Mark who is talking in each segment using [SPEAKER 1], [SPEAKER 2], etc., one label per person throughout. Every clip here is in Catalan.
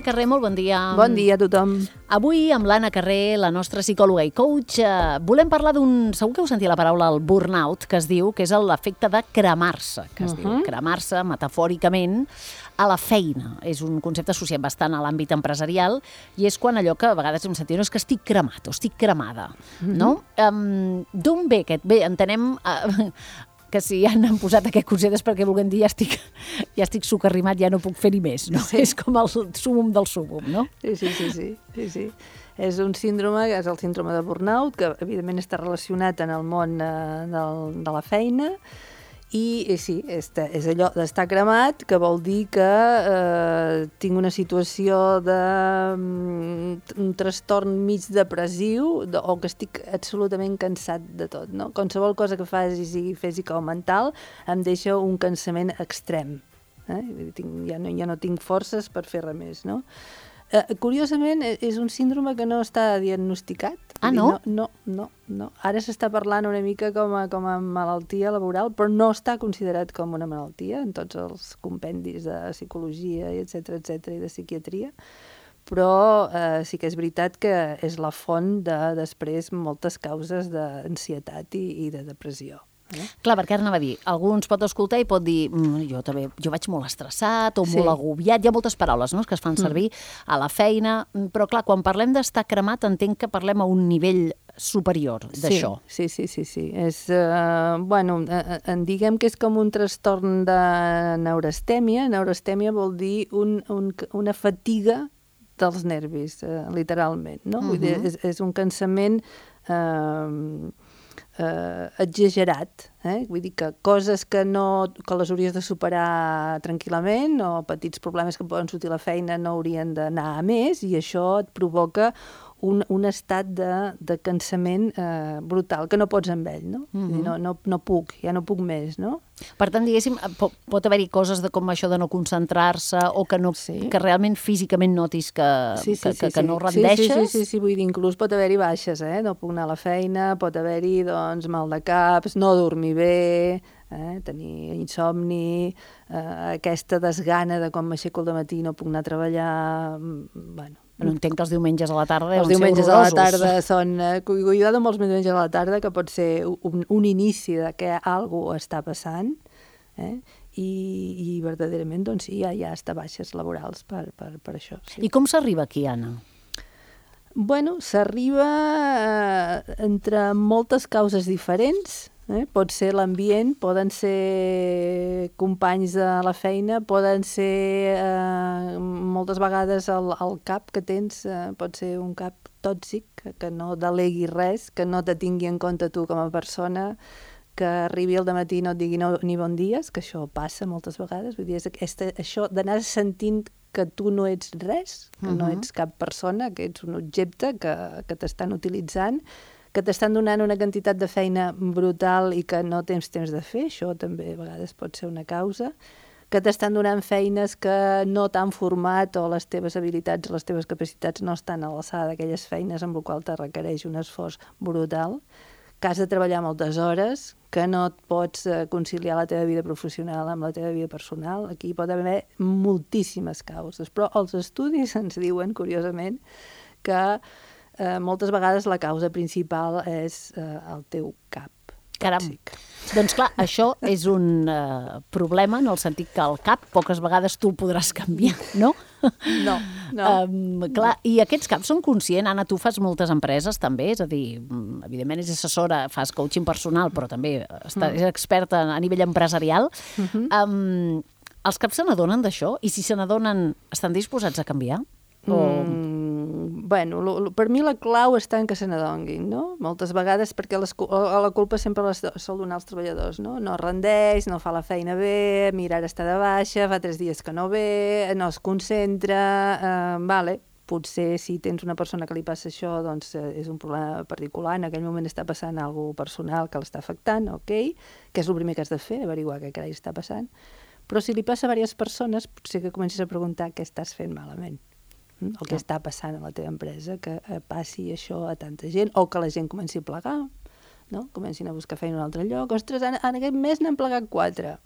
[SPEAKER 1] Carré, molt bon dia.
[SPEAKER 2] Bon dia a tothom.
[SPEAKER 1] Avui, amb l'Anna Carré, la nostra psicòloga i coach, volem parlar d'un... Segur que heu sentit la paraula el burnout, que es diu, que és l'efecte de cremar-se, que es diu cremar-se metafòricament a la feina. És un concepte associat bastant a l'àmbit empresarial i és quan allò que a vegades hem sentit, no, és que estic cremat o estic cremada, no? D'on ve aquest? Bé, entenem... que si ja han posat aquest concepte és perquè volguem dir ja estic socarrimat, ja no puc fer ni més, no? Sí. És com el súmum del súmum, no?
[SPEAKER 2] Sí. És un síndrome, que és el síndrome de burnout, que evidentment està relacionat en el món de la feina, i sí, és allò d'estar cremat, que vol dir que tinc una situació un trastorn mig depressiu o que estic absolutament cansat de tot, no? Qualsevol cosa que faci, sigui física o mental, em deixa un cansament extrem. Ja no tinc forces per fer res més, no? Curiosament, és un síndrome que no està diagnosticat.
[SPEAKER 1] Ah, no?
[SPEAKER 2] No. Ara s'està parlant una mica com a malaltia laboral, però no està considerat com una malaltia en tots els compendis de psicologia, etcètera, i de psiquiatria, però sí que és veritat que és la font de, després, moltes causes d'ansietat i de depressió.
[SPEAKER 1] Clar, perquè ara anava a dir, algú ens pot escoltar i pot dir jo vaig molt estressat o molt agobiat, hi ha moltes paraules, no?, que es fan servir a la feina, però clar, quan parlem d'estar cremat entenc que parlem a un nivell superior d'això. Sí.
[SPEAKER 2] És, diguem que és com un trastorn de neurastèmia. Neurastèmia vol dir una fatiga dels nervis, literalment, no? Vull dir, és un cansament exagerat, vull dir que coses que les hauries de superar tranquil·lament o petits problemes que poden sortir a la feina no haurien d'anar a més i això et provoca un estat de cansament brutal, que no pots amb ell, no? No puc, ja no puc més, no?
[SPEAKER 1] Per tant, diguéssim, pot haver-hi coses com això de no concentrar-se o que realment físicament notis que no rendeixes?
[SPEAKER 2] Sí, vull dir, inclús pot haver-hi baixes, no puc anar a la feina, pot haver-hi, doncs, mal de caps, no dormir bé, tenir insomni, aquesta desgana de quan m'aixeco al matí no puc anar a treballar, bueno...
[SPEAKER 1] No entenc que els diumenges a la tarda
[SPEAKER 2] deuen ser horrorosos. Els diumenges a la tarda són... Cuidado amb els diumenges a la tarda, que pot ser un inici de que alguna està passant, i verdaderament, doncs sí, hi ha hasta baixes laborals per això. Sí.
[SPEAKER 1] I com s'arriba aquí, Anna?
[SPEAKER 2] Bueno, s'arriba entre moltes causes diferents. Pot ser l'ambient, poden ser companys de la feina, poden ser moltes vegades el cap que tens, pot ser un cap tòxic, que no delegui res, que no te tingui en compte tu com a persona, que arribi al dematí i no et digui ni bon dies, que això passa moltes vegades. Vull dir, això d'anar sentint que tu no ets res, que no ets cap persona, que ets un objecte que t'estan utilitzant, que t'estan donant una quantitat de feina brutal i que no tens temps de fer, això també a vegades pot ser una causa, que t'estan donant feines que no t'han format o les teves habilitats, les teves capacitats no estan a l'alçada d'aquelles feines amb les quals te requereix un esforç brutal, que has de treballar moltes hores, que no et pots conciliar la teva vida professional amb la teva vida personal. Aquí pot haver moltíssimes causes, però els estudis ens diuen, curiosament, que moltes vegades la causa principal és el teu cap tòxic.
[SPEAKER 1] Doncs clar, això és un problema en el sentit que el cap poques vegades tu podràs canviar, no?
[SPEAKER 2] No.
[SPEAKER 1] Clar, i aquests caps són conscients? Anna, tu fas moltes empreses també, és a dir, evidentment és assessora, fas coaching personal, però també és experta a nivell empresarial. Els caps se n'adonen d'això? I si se n'adonen, estan disposats a canviar?
[SPEAKER 2] Bueno, per mi la clau està en que se n'adonguin, no? Moltes vegades, perquè la culpa sempre la sol donar als treballadors, no? No rendeix, no fa la feina bé, mira, ara està de baixa, fa 3 dies que no ve, no es concentra, potser si tens una persona que li passa això, doncs és un problema particular, en aquell moment està passant alguna cosa personal que l'està afectant, que és el primer que has de fer, averiguar què carai està passant, però si li passa a diverses persones, potser que comencis a preguntar què estàs fent malament. El que està passant a la teva empresa, que passi això a tanta gent, o que la gent comenci a plegar, no? Comencin a buscar feina a un altre lloc. Ostres, en aquest mes n'han plegat 4.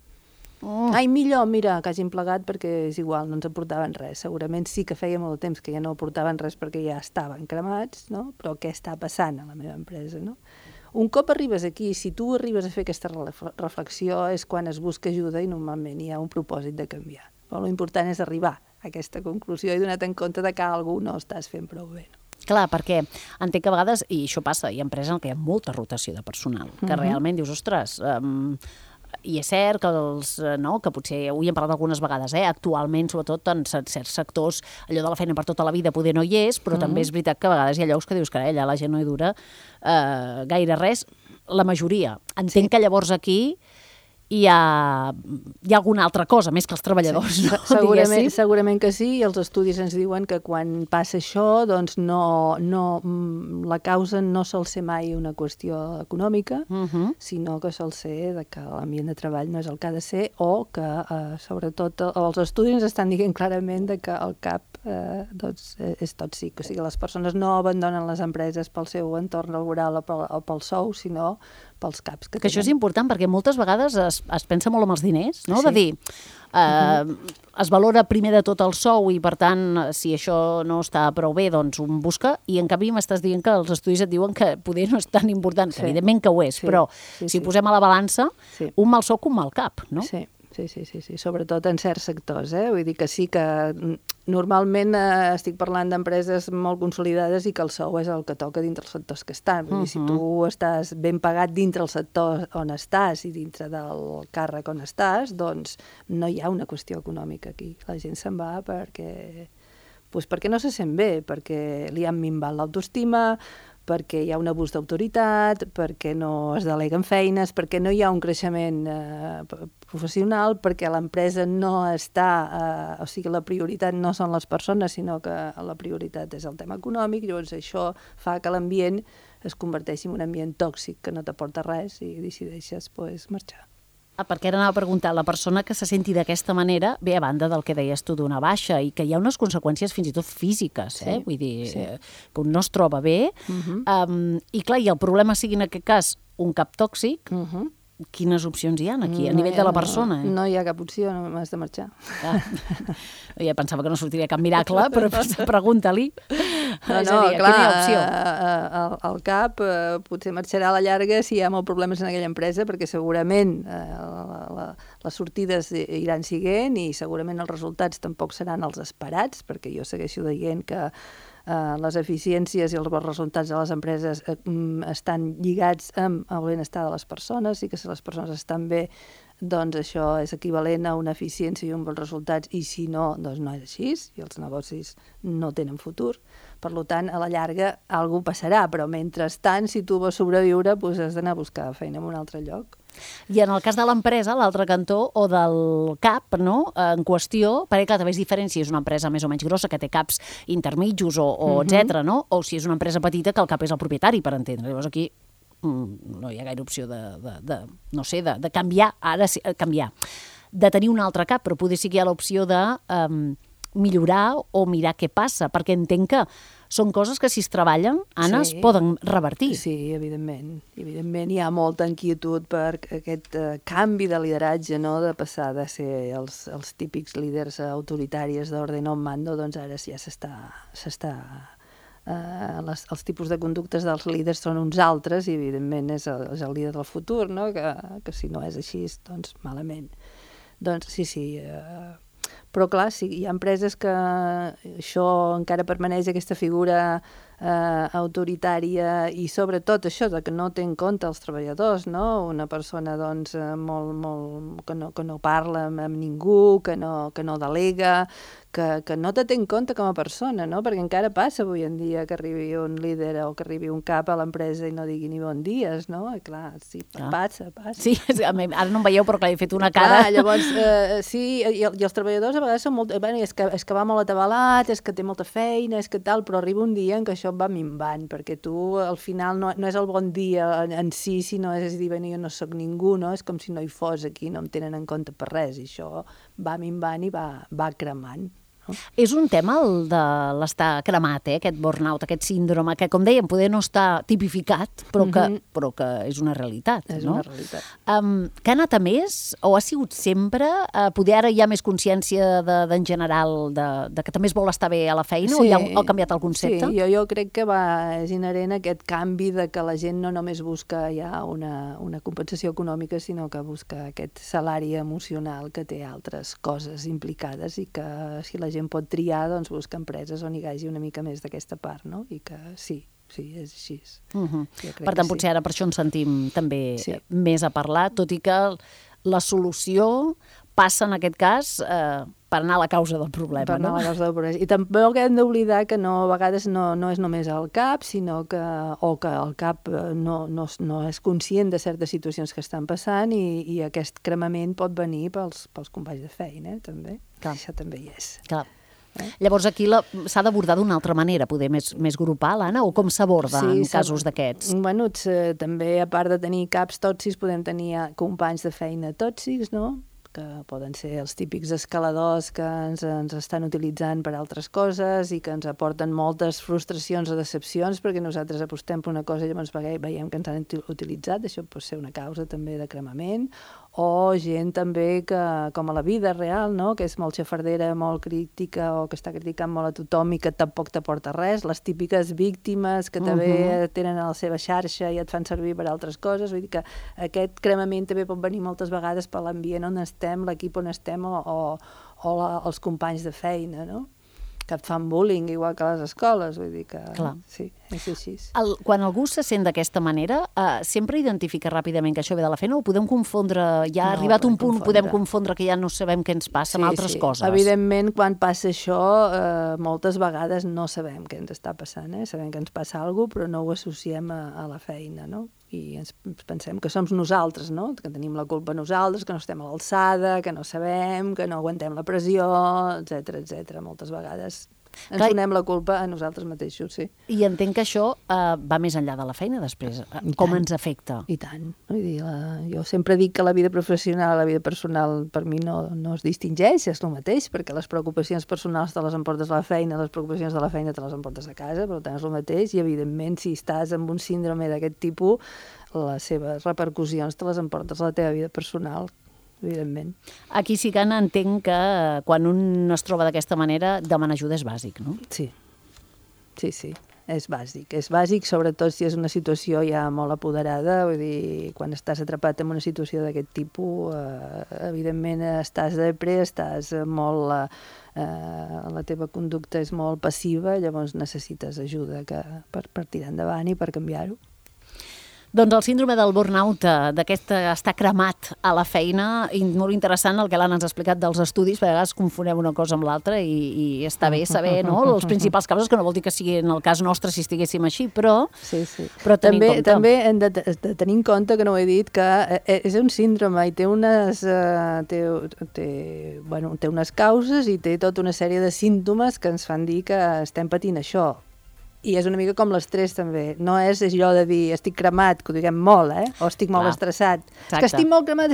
[SPEAKER 2] Ai, millor, mira, que hagin plegat perquè és igual, no ens aportaven res. Segurament sí que feia molt de temps que ja no aportaven res perquè ja estaven cremats, no? Però què està passant a la meva empresa, no? Un cop arribes aquí, si tu arribes a fer aquesta reflexió és quan es busca ajuda i normalment hi ha un propòsit de canviar. Però l'important és arribar a aquesta conclusió i donar-te en compte de que algú no estàs fent prou bé.
[SPEAKER 1] Clar, perquè entenc que a vegades, i això passa, hi ha empreses en què hi ha molta rotació de personal, que realment dius, ostres, i és cert que potser, avui hem parlat algunes vegades, actualment, sobretot en certs sectors, allò de la feina per tota la vida poder no hi és, però també és veritat que a vegades hi ha llocs que dius que allà la gent no hi dura gaire res, la majoria. Entenc que llavors aquí hi ha alguna altra cosa, més que els treballadors, no?
[SPEAKER 2] Segurament que sí, i els estudis ens diuen que quan passa això, doncs la causa no sol ser mai una qüestió econòmica, sinó que sol ser que l'ambient de treball no és el que ha de ser, o que, sobretot, els estudis ens estan dient clarament que el CAP és tòxic. O sigui, les persones no abandonen les empreses pel seu entorn laboral o pel sou, sinó pels caps que tenen.
[SPEAKER 1] Que això és important, perquè moltes vegades es pensa molt en els diners, no? De dir, es valora primer de tot el sou i, per tant, si això no està prou bé, doncs un busca, i en canvi m'estàs dient que els estudis et diuen que poder no és tan important, que evidentment que ho és, però si posem a la balança, un mal sou que un mal cap, no?
[SPEAKER 2] Sí, sobretot en certs sectors, vull dir que sí que normalment estic parlant d'empreses molt consolidades i que el sou és el que toca dintre els sectors que estan. Vull dir, si tu estàs ben pagat dintre el sector on estàs i dintre del càrrec on estàs, doncs no hi ha una qüestió econòmica aquí. La gent se'n va perquè no se sent bé, perquè li han minvat l'autoestima, perquè hi ha un abús d'autoritat, perquè no es deleguen feines, perquè no hi ha un creixement professional, perquè l'empresa no està... o sigui, la prioritat no són les persones, sinó que la prioritat és el tema econòmic, llavors això fa que l'ambient es converteixi en un ambient tòxic que no t'aporta res i decideixes marxar.
[SPEAKER 1] Perquè ara anava a preguntar, la persona que se senti d'aquesta manera, bé, a banda del que deies tu d'una baixa, i que hi ha unes conseqüències fins i tot físiques, vull dir, que un no es troba bé, i clar, i el problema sigui en aquest cas un cap tòxic, quines opcions hi ha aquí, a nivell de la persona?
[SPEAKER 2] No hi ha cap opció, no m'has de marxar.
[SPEAKER 1] Ja pensava que no sortiria cap miracle, però pregunta-li.
[SPEAKER 2] No, clar, el cap potser marxarà a la llarga si hi ha molts problemes en aquella empresa, perquè segurament les sortides iran siguent i segurament els resultats tampoc seran els esperats, perquè jo segueixo dient que les eficiències i els bons resultats de les empreses estan lligats amb el benestar de les persones i que si les persones estan bé, doncs això és equivalent a una eficiència i uns bons resultats, i si no, doncs no és així, i els negocis no tenen futur. Per tant, a la llarga, alguna cosa passarà, però mentrestant, si tu vols sobreviure, doncs has d'anar a buscar feina en un altre lloc.
[SPEAKER 1] I en el cas de l'empresa, l'altre cantó, o del CAP, no?, en qüestió, perquè clar, també és diferent si és una empresa més o menys grossa, que té caps intermitjos o etcètera, no?, o si és una empresa petita que el cap és el propietari, per entendre. Llavors aquí no hi ha gaire opció de canviar, ara sí, canviar, de tenir un altre cap, però poder sí que hi ha l'opció de millorar o mirar què passa, perquè entenc que són coses que si es treballen, Anna, es poden revertir.
[SPEAKER 2] Sí, evidentment. Evidentment hi ha molta inquietud per aquest canvi de lideratge, no?, de passar de ser els típics líders autoritaris d'ordre non mando, doncs ara ja s'està els tipus de conductes dels líders són uns altres i evidentment és el líder del futur, no?, que si no és així, doncs malament. Doncs sí, però clar, sí, hi ha empreses que això encara permaneix, aquesta figura autoritària, i sobretot això de que no té en compte els treballadors, no? Una persona doncs molt que no parla amb ningú, que no delega, que no te té en compte com a persona, no? Perquè encara passa avui en dia que arribi un líder o que arribi un cap a l'empresa i no digui ni bon dies, no? I clar, sí, passa.
[SPEAKER 1] Sí, ara no em veieu, però clar, he fet una cara.
[SPEAKER 2] Clar, llavors, sí, i els treballadors a vegades són molt... és que va molt atabalat, és que té molta feina, és que tal, però arriba un dia en què això va minvant, perquè tu al final no és el bon dia en si, sinó és dir, jo no sóc ningú, no? És com si no hi fos aquí, no em tenen en compte per res, i això va minvant i va cremant. no?
[SPEAKER 1] És un tema el de l'estar cremat, aquest burnout, aquest síndrome, que, com dèiem, poder no estar tipificat, però que és una realitat,
[SPEAKER 2] és
[SPEAKER 1] no?
[SPEAKER 2] Una realitat.
[SPEAKER 1] Que ha anat a més, o ha sigut sempre? Poder ara hi ha més consciència en general de que també es vol estar bé a la feina, o ja ha canviat el concepte?
[SPEAKER 2] Sí, jo crec que és inherent aquest canvi de que la gent no només busca ja una compensació econòmica, sinó que busca aquest salari emocional que té altres coses implicades i que si la gent pot triar, doncs busca empreses on hi hagi una mica més d'aquesta part, no? I que sí, és així.
[SPEAKER 1] Per tant, potser ara per això ens sentim també més a parlar, tot i que la solució passa en aquest cas per anar a la causa del problema.
[SPEAKER 2] Per anar a la causa del problema. I tampoc hem d'oblidar que a vegades no és només el cap, sinó que el cap no és conscient de certes situacions que estan passant i aquest cremament pot venir pels companys de feina, també. Clar. Això també hi és.
[SPEAKER 1] Clar. Llavors aquí s'ha d'abordar d'una altra manera, poder més grupal, Anna, o com s'aborda en casos d'aquests?
[SPEAKER 2] Bueno, també a part de tenir caps tòxics podem tenir companys de feina tòxics, no?, que poden ser els típics escaladors que ens estan utilitzant per altres coses i que ens aporten moltes frustracions o decepcions perquè nosaltres apostem per una cosa i llavors veiem que ens han utilitzat. Això pot ser una causa també de cremament. O gent també que, com a la vida real, no?, que és molt xafardera, molt crítica o que està criticant molt a tothom i que tampoc t'aporta res. Les típiques víctimes que també tenen a la seva xarxa i et fan servir per altres coses. Vull dir que aquest cremament també pot venir moltes vegades per l'ambient on estem, l'equip on estem o els companys de feina, no?, que et fan bullying, igual que a les escoles, vull dir que sí, és així.
[SPEAKER 1] Quan algú se sent d'aquesta manera, sempre identifica ràpidament que això ve de la feina o podem confondre, ja ha arribat un punt, podem confondre que ja no sabem què ens passa amb altres coses?
[SPEAKER 2] Evidentment, quan passa això, moltes vegades no sabem què ens està passant, sabem que ens passa alguna cosa, però no ho associem a la feina, no? I ens pensem que som nosaltres, no?, que tenim la culpa nosaltres, que no estem a l'alçada, que no sabem, que no aguantem la pressió, etc. Moltes vegades ens donem la culpa a nosaltres mateixos, sí.
[SPEAKER 1] I entenc que això va més enllà de la feina després. Com ens afecta?
[SPEAKER 2] I tant. Vull dir, jo sempre dic que la vida professional i la vida personal per mi no es distingeix, és el mateix, perquè les preocupacions personals te les emportes a la feina, les preocupacions de la feina te les emportes a casa, per tant és el mateix, i evidentment si estàs amb un síndrome d'aquest tipus, les seves repercussions te les emportes a la teva vida personal, evidentment.
[SPEAKER 1] Aquí sí que entenc que quan un es troba d'aquesta manera, demanar ajuda és bàsic, no?
[SPEAKER 2] Sí, és bàsic. És bàsic, sobretot si és una situació ja molt apoderada, vull dir, quan estàs atrapat en una situació d'aquest tipus, evidentment estàs estàs molt... la teva conducta és molt passiva, llavors necessites ajuda per tirar endavant i per canviar-ho.
[SPEAKER 1] Doncs el síndrome del burnout, d'aquest estar cremat a la feina, i molt interessant el que l'Anna ens ha explicat dels estudis, perquè a vegades confonem una cosa amb l'altra i està bé saber, no?, les principals causes, que no vol dir que sigui en el cas nostre si estiguéssim així, però tenir en compte.
[SPEAKER 2] També hem de tenir en compte, que no ho he dit, que és un síndrome i té unes causes i té tota una sèrie de símptomes que ens fan dir que estem patint això. I és una mica com l'estrès, també. No és allò de dir estic cremat, que ho diguem molt, o estic molt estressat. És que estic molt cremat.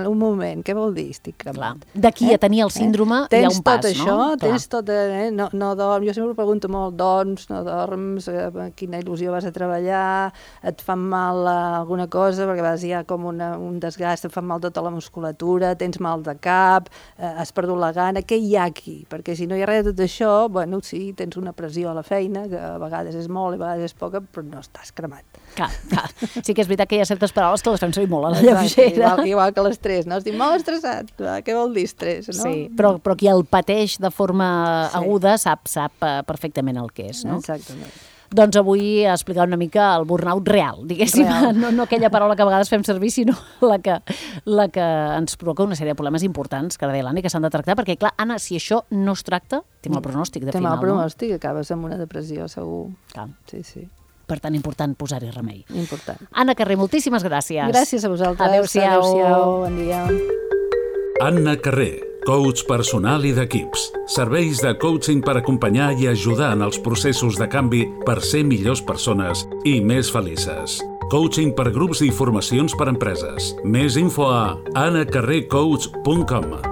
[SPEAKER 2] Un moment, què vol dir estic cremat?
[SPEAKER 1] D'aquí a tenir el síndrome hi ha un pas, no?
[SPEAKER 2] Tens tot això, no dorms. Jo sempre pregunto molt, dorms, no dorms, quina il·lusió vas a treballar, et fan mal alguna cosa, perquè a vegades hi ha com un desgast, et fan mal tota la musculatura, tens mal de cap, has perdut la gana, què hi ha aquí? Perquè si no hi ha res de tot això, bueno, sí, tens una pressió a la feina, que a vegades és molt i a vegades és poca, però no estàs cremat.
[SPEAKER 1] Clar. Sí que és veritat que hi ha certes paraules que les fem servir molt a la lleugera.
[SPEAKER 2] Igual que l'estrès, no? Estic molt estressat. Què vol dir estrès, no?
[SPEAKER 1] Sí, però qui el pateix de forma aguda sap perfectament el que és, no?
[SPEAKER 2] Exactament.
[SPEAKER 1] Doncs avui ha explicat una mica el burnout real, diguéssim, no aquella paraula que a vegades fem servir, sinó la que ens provoca una sèrie de problemes importants, que ara deia l'Anna, que s'han de tractar, perquè, clar, Anna, si això no es tracta, té mal pronòstic, de final, no?
[SPEAKER 2] Té mal pronòstic, acabes amb una depressió, segur.
[SPEAKER 1] Clar.
[SPEAKER 2] Sí.
[SPEAKER 1] Per tant, important posar-hi remei.
[SPEAKER 2] Important.
[SPEAKER 1] Anna Carré, moltíssimes gràcies.
[SPEAKER 2] Gràcies a vosaltres.
[SPEAKER 1] Adéu-siau.
[SPEAKER 2] Bon dia.
[SPEAKER 3] Anna Carré, coach personal i d'equips. Serveis de coaching per acompanyar i ajudar en els processos de canvi per ser millors persones i més felices. Coaching per grups i formacions per empreses. Més info a annacarrecoach.com.